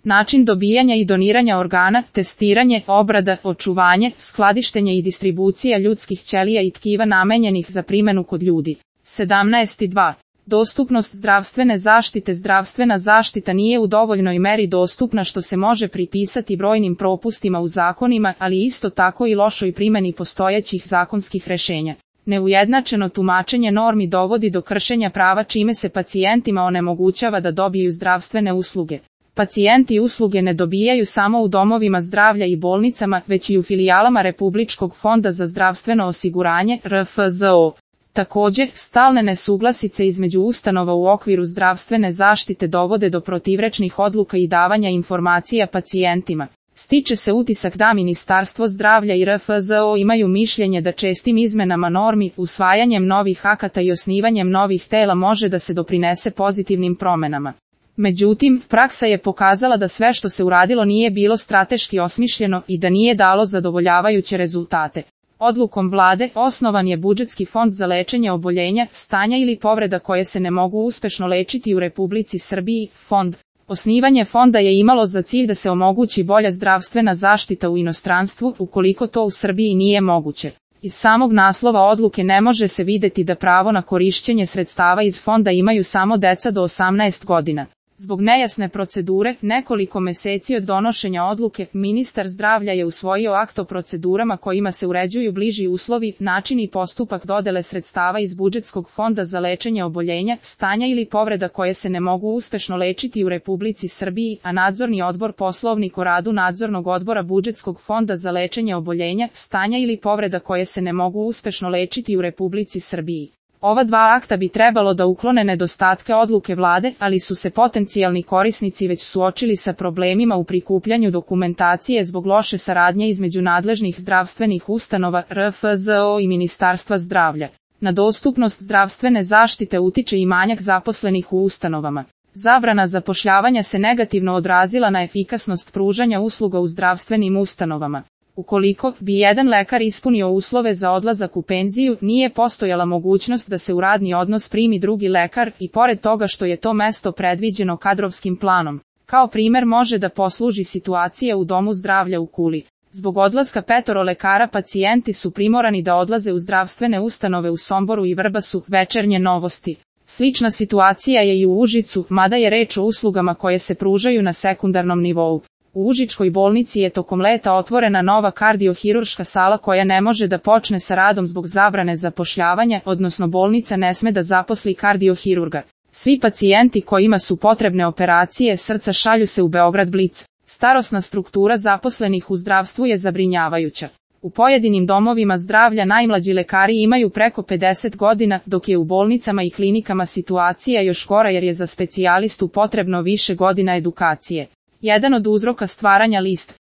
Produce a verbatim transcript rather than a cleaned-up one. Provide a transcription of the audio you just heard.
način dobijanja i doniranja organa, testiranje, obrada, očuvanje, skladištenje i distribucija ljudskih ćelija i tkiva namenjenih za primjenu kod ljudi. sedamnaest dva. Dostupnost zdravstvene zaštite. Zdravstvena zaštita nije u dovoljnoj meri dostupna, što se može pripisati brojnim propustima u zakonima, ali isto tako i lošoj primjeni postojećih zakonskih rješenja. Neujednačeno tumačenje normi dovodi do kršenja prava, čime se pacijentima onemogućava da dobiju zdravstvene usluge. Pacijenti usluge ne dobijaju samo u domovima zdravlja i bolnicama, već i u filijalama Republičkog fonda za zdravstveno osiguranje R F Z O. Također, stalne nesuglasice između ustanova u okviru zdravstvene zaštite dovode do protivrečnih odluka i davanja informacija pacijentima. Stiče se utisak da Ministarstvo zdravlja i R F Z O imaju mišljenje da čestim izmenama normi, usvajanjem novih akata i osnivanjem novih tela može da se doprinese pozitivnim promjenama. Međutim, praksa je pokazala da sve što se uradilo nije bilo strateški osmišljeno i da nije dalo zadovoljavajuće rezultate. Odlukom vlade osnovan je budžetski fond za lečenje oboljenja, stanja ili povreda koje se ne mogu uspešno lečiti u Republici Srbiji, fond. Osnivanje fonda je imalo za cilj da se omogući bolja zdravstvena zaštita u inostranstvu, ukoliko to u Srbiji nije moguće. Iz samog naslova odluke ne može se videti da pravo na korišćenje sredstava iz fonda imaju samo deca do osamnaest godina. Zbog nejasne procedure, nekoliko meseci od donošenja odluke, ministar zdravlja je usvojio akt o procedurama kojima se uređuju bliži uslovi, način i postupak dodele sredstava iz budžetskog fonda za lečenje oboljenja, stanja ili povreda koje se ne mogu uspešno lečiti u Republici Srbiji, a nadzorni odbor Poslovnik o radu nadzornog odbora budžetskog fonda za lečenje oboljenja, stanja ili povreda koje se ne mogu uspešno lečiti u Republici Srbiji. Ova dva akta bi trebalo da uklone nedostatke odluke vlade, ali su se potencijalni korisnici već suočili sa problemima u prikupljanju dokumentacije zbog loše saradnje između nadležnih zdravstvenih ustanova R F Z O i Ministarstva zdravlja. Na dostupnost zdravstvene zaštite utiče i manjak zaposlenih u ustanovama. Zabrana zapošljavanja se negativno odrazila na efikasnost pružanja usluga u zdravstvenim ustanovama. Ukoliko bi jedan lekar ispunio uslove za odlazak u penziju, nije postojala mogućnost da se u radni odnos primi drugi lekar i pored toga što je to mesto predviđeno kadrovskim planom. Kao primer može da posluži situacija u Domu zdravlja u Kuli. Zbog odlaska petoro lekara pacijenti su primorani da odlaze u zdravstvene ustanove u Somboru i Vrbasu, Večernje novosti. Slična situacija je i u Užicu, mada je reč o uslugama koje se pružaju na sekundarnom nivou. U Užičkoj bolnici je tokom leta otvorena nova kardiohirurška sala koja ne može da počne sa radom zbog zabrane zapošljavanja, odnosno bolnica ne sme da zaposli kardiohirurga. Svi pacijenti kojima su potrebne operacije srca šalju se u Beograd Blic. Starosna struktura zaposlenih u zdravstvu je zabrinjavajuća. U pojedinim domovima zdravlja najmlađi lekari imaju preko pedeset godina, dok je u bolnicama i klinikama situacija još gora jer je za specijalistu potrebno više godina edukacije. Jedan od uzroka stvaranja list